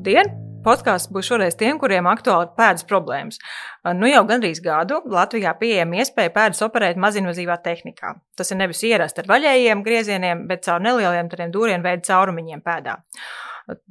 Labdien! Podkāsts būs šoreiz tiem, kuriem aktuāli ir pēdas problēmas. Nu jau gandrīz gadu Latvijā pieejama iespēja pēdas operēt mazinvazīvā tehnikā. Tas ir nevis ierast ar vaļējiem griezieniem, bet caur nelieliem tādiem dūrienu veidu caurumiņiem pēdā.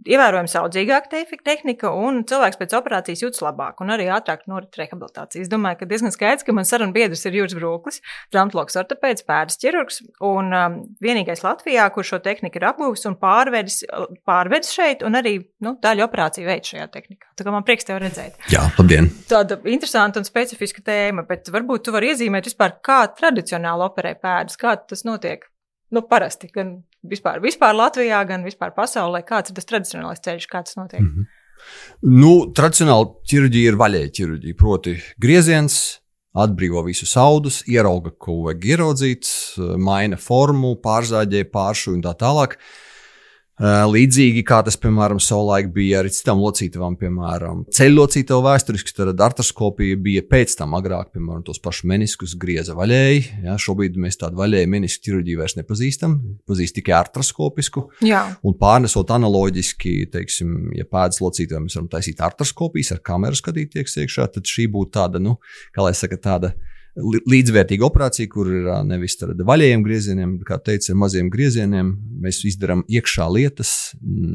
Ievērojami saudzīgāka tehnika un cilvēks pēc operācijas jūtas labāk un arī ātrāk norit rehabilitācija. Es domāju, ka diezgan skaidrs, ka man sarunu biedrs ir Juris Brūklis, traumatologs ortopēds, pēdas ķirurgs un vienīgais Latvijā, kur šo tehniku ir apgūvis un pārvedis šeit un arī daļu operāciju veids šajā tehnikā. Tā kā man prieks tev redzēt. Jā, labdien! Tāda interesanta un specifiska tēma, bet varbūt tu vari iezīmēt vispār, kā tradicionāli operē pēdas, kā tas notiek? Parasti, gan vispār Latvijā, gan vispār pasaulē, kāds ir tas tradicionālais ceļš, kā tas notiek? Tradicionāli ķirurģija ir vaļēja ķirurģija, proti grieziens, atbrīvo visus audus, ierauga, ko vajag ieraudzīt, maina formu, pārzāģē, pāršu un tā tālāk. Līdzīgi kā tas, piemēram, savulaik bija arī citām locītavām, piemēram, ceļlocītavu vēsturiski, tad artroskopija bija pēc tam agrāk, piemēram, tos pašus meniskus grieza vaļēji. Ja, šobrīd mēs tādu vaļēju menisku ķirurģiju vairs nepazīstam, pazīst tikai artroskopisku. Jā. Un pārnesot analoģiski, teiksim, ja pēdas locītavā mēs varam taisīt artroskopijas, ar kameru skatīties iekšā, tad šī būtu tāda, kā lai saka, tāda līdzvērtīga operācija, kur ir nevis ar vaļējiem griezieniem, kā teica, ar maziem griezieniem. Mēs izdarām iekšā lietas,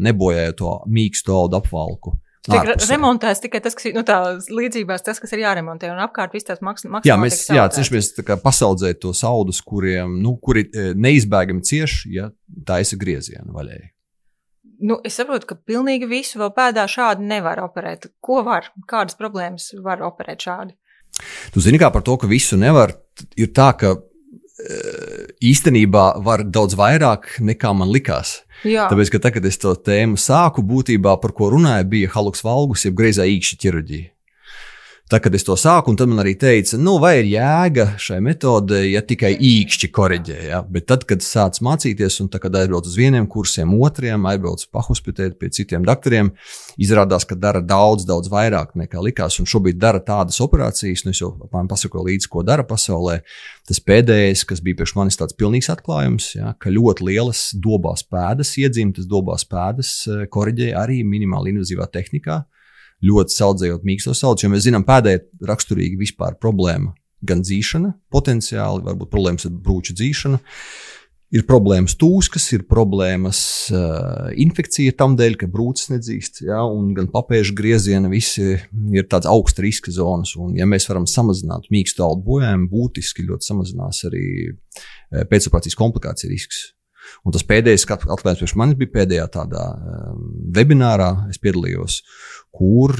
nebojājot to mīksto audu apvalku. Remontēs tikai tas, kas ir, tā līdzībās tas, kas ir jāremontē, un apkārt viss tās maksimāli cenšamies pasaudzēt tos audus, kuri neizbēgami cieši, ja taisa griezienu vaļēji. Es saprotu, ka pilnīgi visu vēl pēdā šādi nevar operēt. Ko var? Kādas problēmas var operēt šādi? Tu zini, kā par to, ka visu nevar, ir tā, ka īstenībā var daudz vairāk nekā man likās. Jā. Tāpēc, ka tagad es to tēmu sāku, būtībā par ko runāju, bija halux valgus, jeb greizā īkšķa ķirurģija. Tā, kad es to sāku, un tad man arī teica, vai ir jēga šai metodē, ja tikai īkšķi koriģē, ja? Bet tad, kad sāc mācīties, un tā, kad aizbrauc uz vieniem kursiem, otriem, aizbrauc pahospitēt pie citiem doktoriem, izrādās, ka dara daudz vairāk nekā likās, un šobrīd dara tādas operācijas, es jau pasakoju līdzi, ko dara pasaulē. Tas pēdējais, kas bija priekš manis tāds pilnīgs atklājums, ja? Ka ļoti lielas dobās pēdas, iedzimtas dobās pēdas koriģē arī minimāli invazīvā tehnikā. Ļoti saudzējot mīkstos audus, jo mēs zinām, pēdē ir raksturīgi vispār problēma gan dzīšana, potenciāli, varbūt problēmas ar brūču dzīšanu, ir problēmas tūskas, ir problēmas infekcija tam dēļ, ka brūces nedzīst, ja, un gan papēžu grieziena, visi ir tāds augsta riska zonas, un ja mēs varam samazināt mīkstu audu bojājumu, būtiski ļoti samazinās arī pēcoperācijas komplikācija risks. Un tas pēdējais atklājums priekš manis bija pēdējā tādā webinārā, es piedalījos, kur,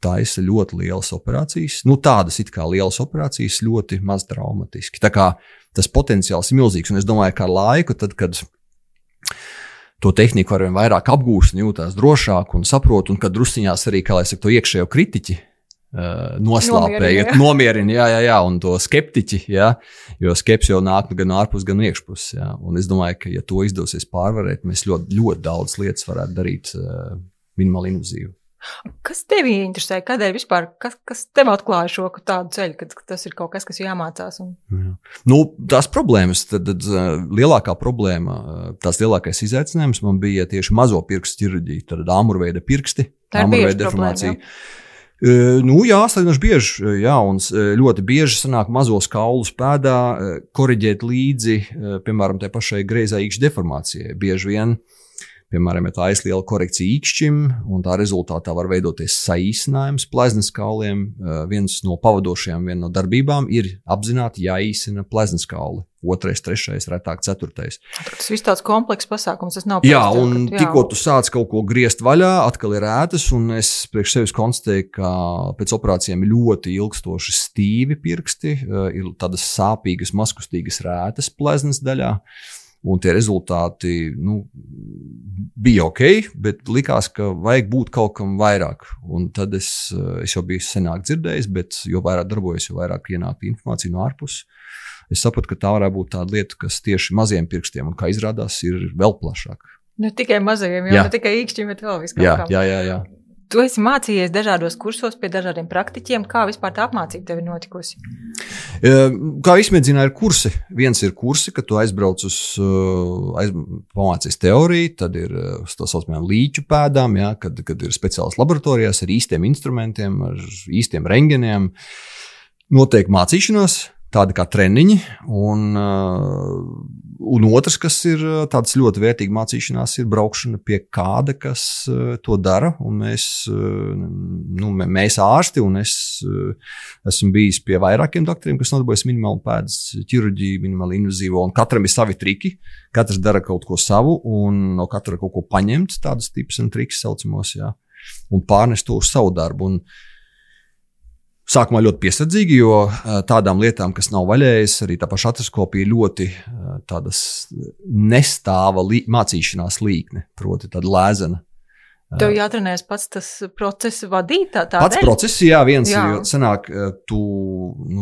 taisa ļoti lielas operācijas, tādas it kā lielas operācijas, ļoti maz traumatiski. Tā kā tas potenciāls ir milzīgs, un es domāju, ka ar laiku, tad, kad to tehniku arvien vairāk apgūst un jūtās drošāk un saprot, un kad drusciņās arī, kā lai saka, to iekšējo kritiķi noslāpēja, nomierina, un to skeptiķi, jo skepsi jau nāk gan ārpus, gan iekšpus, un es domāju, ka ja to izdosies pārvarēt, mēs ļoti, ļoti daudz lietas varētu darīt minimāli invazīvi. Kas tevi interesē? Kādēļ vispār, kas tev atklāja šo tādu ceļu, ka tas ir kaut kas, kas jāmācās? Tās problēmas, tad lielākā problēma, tās lielākais izaicinājums man bija tieši mazo pirkstu ķirurģija, tad āmurveida pirksti, āmurveida deformācija. Salīdzinoši bieži, un ļoti bieži sanāk mazos kaulus pēdā koriģēt līdzi, piemēram, tai pašai greizā īkšķa deformācijai. Bieži vien, piemēram, ja tā aizliela korekcija īkšķim, un tā rezultātā var veidoties saīsinājums pleznas kauliem. Viens no pavadošajām, viena no darbībām ir apzināti jāīsina pleznas kauli. 2., 3., retāk 4. Tas viss tāds komplekss pasākums, tas nav tikko tu sāc kaut ko griezt vaļā, atkal ir ētas, un es priekš sevis konstatēju, ka pēc operācijām ir ļoti ilgstoši stīvi pirksti, ir tādas sāpīgas, mazkustīgas rētas pleznas daļā, un tie rezultāti, bija ok, bet likās, ka vajag būt kaut kam vairāk, un tad es jau biju senāk dzirdējis, bet jo vairāk darbojos, jo vairāk ienāk informācija no ārpus. Es sapratu, ka tā varētu būt tāda lieta, kas tieši maziem pirkstiem, un kā izrādās, ir vēl plašāk. Ne tikai mazajiem, ne tikai īkšķiem, bet vēl viskam. Jā. Tu esi mācījies dažādos kursos pie dažādiem praktiķiem. Kā vispār tā apmācība tev ir notikusi? Kā izmēģināja, ir kursi. Viens ir kursi, kad tu aizbrauc pamācies teoriju, tad ir uz tā saucamajām līķu pēdām, ja, kad ir speciālas laboratorijās ar īstiem instrumentiem, ar īstiem rengeniem. Notiek mācīšanās, tādi kā treniņi, un otrs, kas ir tāds ļoti vērtīgi mācīšanās, ir braukšana pie kāda, kas to dara, un mēs ārsti, un es esmu bijis pie vairākiem doktoriem, kas nodarbojas minimālu pēdas ķirurģiju, minimāli invazīvo, un katram ir savi triki, katrs dara kaut ko savu, un no katra kaut ko paņemt, tādus tipus un triks saucamos, jā, un pārnest to uz savu darbu, un sākumā ļoti piesardzīgi, jo tādām lietām, kas nav vaļējas, arī tā paša artroskopija ļoti tādas nestāva mācīšanās līkne, proti tāda lēzena. Tev jātrenēs pats tas process vadīt tā pats dēļ? Process, jā, viens jā. Ir, jo sanāk, tu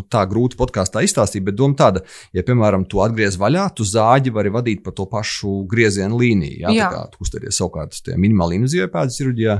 tā grūti podkāstā izstāstīt, bet doma tāda, ja, piemēram, tu atgriez vaļā, tu zāģi vari vadīt pa to pašu griezienu līniju, jā. Tā kā tu uztaries savukārt uz tie minimāli invazīvai pēdas ķirurģijā,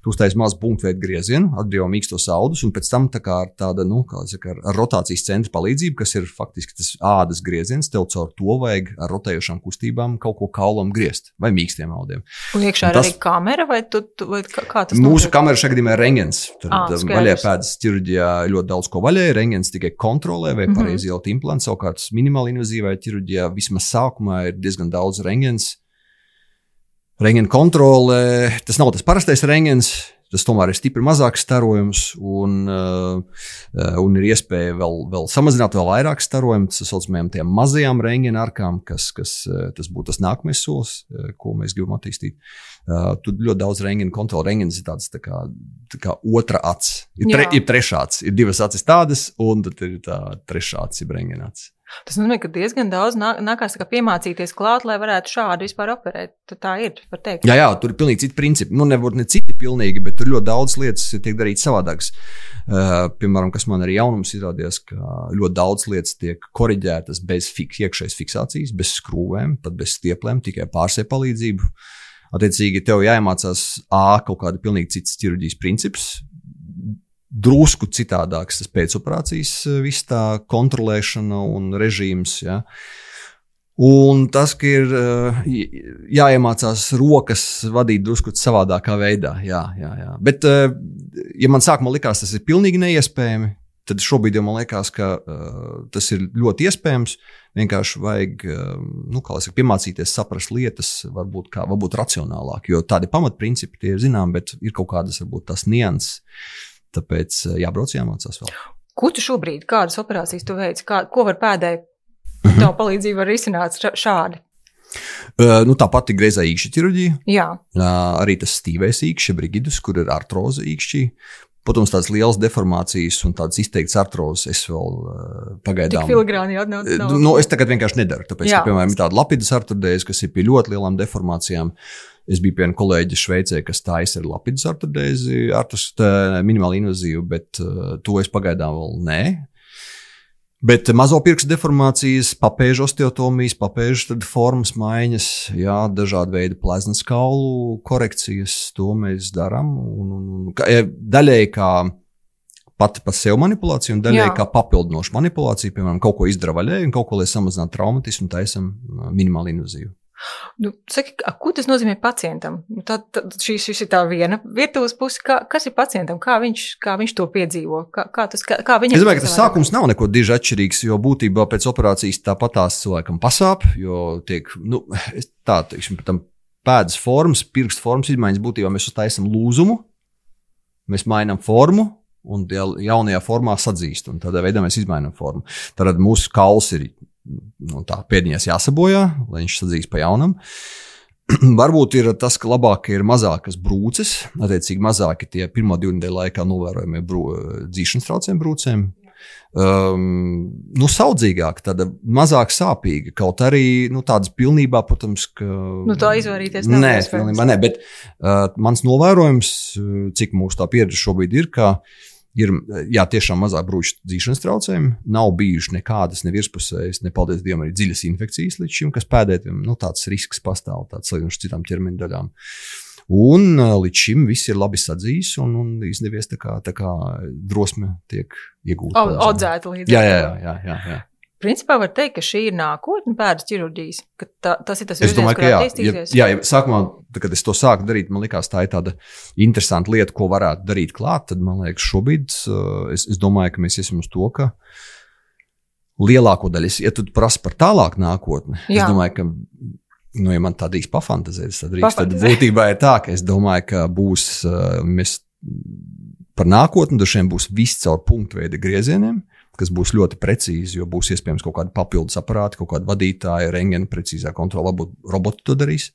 tu uztais mazu punktveidu griezienu, atbrīvo mīkstos audus, un pēc tam tā kā ar tāda, ar rotācijas centra palīdzību, kas ir faktiski tas ādas grieziens, tev caur to vajag ar rotējošām kustībām kaut ko kaulam griezt, vai mīkstiem audiem. Un iekšā ir arī kamera, vai kā tas mūsu kamera šajā gadījumā ir rengens. Tad vaļē pēdas ķirurģijā ļoti daudz ko vaļē, rengens tikai kontrolē, vai pareizi ielikt implantu, savukārt minimāli invazīvai ķirurģijā vismaz sākumā ir diezgan daudz rengens. Rengena kontrole, tas nav tas parastais rengens, tas tomēr ir stipri mazāks starojums un ir iespēja vēl samazināt vēl vairāk starojumu, tas saucamajām tiem mazajām rengena arkām, kas tas būtu tas nākamais solis, ko mēs gribam attīstīt. Tur ļoti daudz rengena kontrole. Rengens ir tāds tā kā otra acs. Ir trešā acs. Ir divas acis tādas, un tad ir tā trešā acs, ir rengena acs. Tas nozīmē, ka diezgan daudz nākās piemācīties klāt, lai varētu šādi vispār operēt. Tad tā ir, var teikt. Jā, tur ir pilnīgi citi principi. Nevar ne citi pilnīgi, bet tur ļoti daudz lietas tiek darītas savādākas. Piemēram, kas man arī jaunums izrādījās, ka ļoti daudz lietas tiek koriģētas bez iekšējas fiksācijas, bez skrūvēm, pat bez stieplēm, tikai pārsē palīdzību. Attiecīgi, tev jāiemācās kaut kāda pilnīgi cits ķirurģijas princips, drusku citādāks tas pēcoperācijas viss tā kontrolēšana un režīms, ja. Un tas, ka ir jāiemācās rokas vadīt drusku savādākā veidā, jā. Bet, ja man sākumā likās, tas ir pilnīgi neiespējami, tad šobrīd jau man liekas, ka tas ir ļoti iespējams, vienkārši vajag, piemācīties saprast lietas, varbūt racionālāk, jo tādi pamatprincipi tie ir zinām, bet ir kaut kādas, varbūt tās nianses. Tāpēc jābrauc, jāmācās vēl. Ko tu šobrīd, kādas operācijas tu veici? Ko var pēdē tavu palīdzību var risināt šādi? Tā pati greizā īkšķa ķirurģija. Jā. Arī tas stīvais īkšķa, brigidus, kur ir artroze īkšķī. Protams, tādas lielas deformācijas un tādas izteiktas artrozes es vēl pagaidām. Tik filigrāni nav. Es tagad vienkārši nedaru, tāpēc, ka, piemēram, ir tāda lapidas artrodēze, kas ir pie ļoti lielām deformācijām. Es biju pie viena kolēģa Šveicē, kas taisa ar lapidas artrodēzi, minimāli invazīvu, bet to es pagaidām vēl nē. Bet mazo pirkstu deformācijas, papēžu osteotomijas, papēžu formas maiņas, jā, dažādi veidi pleznas kaulu korekcijas, to mēs darām. Daļēji kā pati par sev manipulāciju un daļēji kā papildinošu manipulāciju, piemēram, kaut ko izdara vaļēji un kaut ko, lai samazinātu traumatismu, taisam minimāli invazīvu. Saki, ko tas nozīmē pacientam? Šis ir tā viena virtuves puse. Kas ir pacientam? Kā viņš to piedzīvo? Es domāju, ka tas sākums nav neko diži atšķirīgs, jo būtībā pēc operācijas tāpatās cilvēkam pasāp, jo tiek, tam pēdas formas, pirkstu formas izmaiņas būtībā mēs uztaisam lūzumu, mēs mainām formu un jaunajā formā sadzīst, un tādā veidā mēs izmainām formu. Tad mūsu kauls ir pēdiņās jāsabojā, lai viņš sadzīst pa jaunam. Varbūt ir tas, ka labāk ir mazākas brūces, attiecīgi mazāki tie pirmo 2 nedēļu laikā novērojamie dzīšanas traucējumi brūcēm. Saudzīgāk, tāda mazāk sāpīga, kaut arī tādas pilnībā, protams, ka... tā izvairīties nav iespējams. Nē, pilnībā ne, bet mans novērojums, cik mūsu tā pieredze šobrīd ir, ka ir, tiešām mazāk brūču dzīšanas traucējumi, nav bijuši nekādas, ne virspusējas, ne paldies Dievam arī dziļas infekcijas līdz šim, kas pēdējiem, tāds risks pastāv, tāds salīdzinoši citām ķermeņa daļām. Un līdz šim viss ir labi sadzījis un izdevies tā kā drosme tiek iegūta. Audzēta līdz. Jā. Principā var teikt, ka šī ir nākotne pēdas ķirurģijas, ka tas ir tas virziens, es domāju, kurā attīstīsies. Jā, sākumā, kad es to sāku darīt, man likās, tā ir tāda interesanta lieta, ko varētu darīt klāt, tad man liekas, šobrīd es domāju, ka mēs iesim uz to, ka lielāko daļu, ja tu prasi par tālāk nākotni, es domāju, ka, ja man tā drīkst pafantazēt, tad būtībā ir tā, ka es domāju, ka būs, mēs par nākotni dažiem būs viss caur punktu veida griezieniem, kas būs ļoti precīzi, jo būs iespējams kaut kādi papildus aparāti, kaut kādi vadītāji, rentgena precīzā kontrola, varbūt roboti to darīs.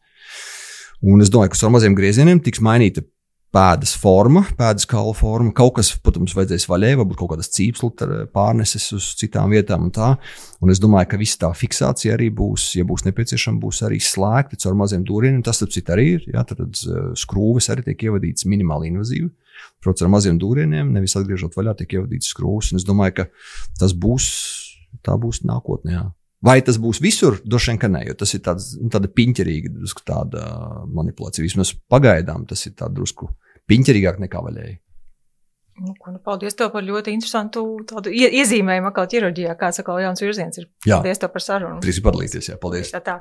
Un es domāju, ka ar maziem griezieniem tiks mainīta pēdas forma, pēdas kaula forma. Kaut kas, protams, vajadzēs vaļai, varbūt kaut kādas cīpslu pārneses uz citām vietām un tā. Un es domāju, ka visa tā fiksācija arī būs, ja būs nepieciešama, būs arī slēgta caur maziem dūrieniem. Tas, starp citu, arī ir. Jā, tad skrūves arī tiek ievadītas minimāli invazīvi. Protams, ar maziem dūrieniem, nevis atgriežot vaļā, tiek ievadītas skrūves. Un es domāju, ka tā būs nākotnē. Jā. Vai tas būs visur? Droši vien, ka nē, jo tas ir tāda piņķerīga, drusku tāda manipulācija. Vismaz pagaidām tas ir tāda drusku piņķerīgāk nekā vaļēji. Paldies tev par ļoti interesantu tādu iezīmējumu atkal ķirurģijā, kāds atkal jauns virziens ir. Paldies tev par sarunu. Trīs padalīties, jā, paldies. Tā.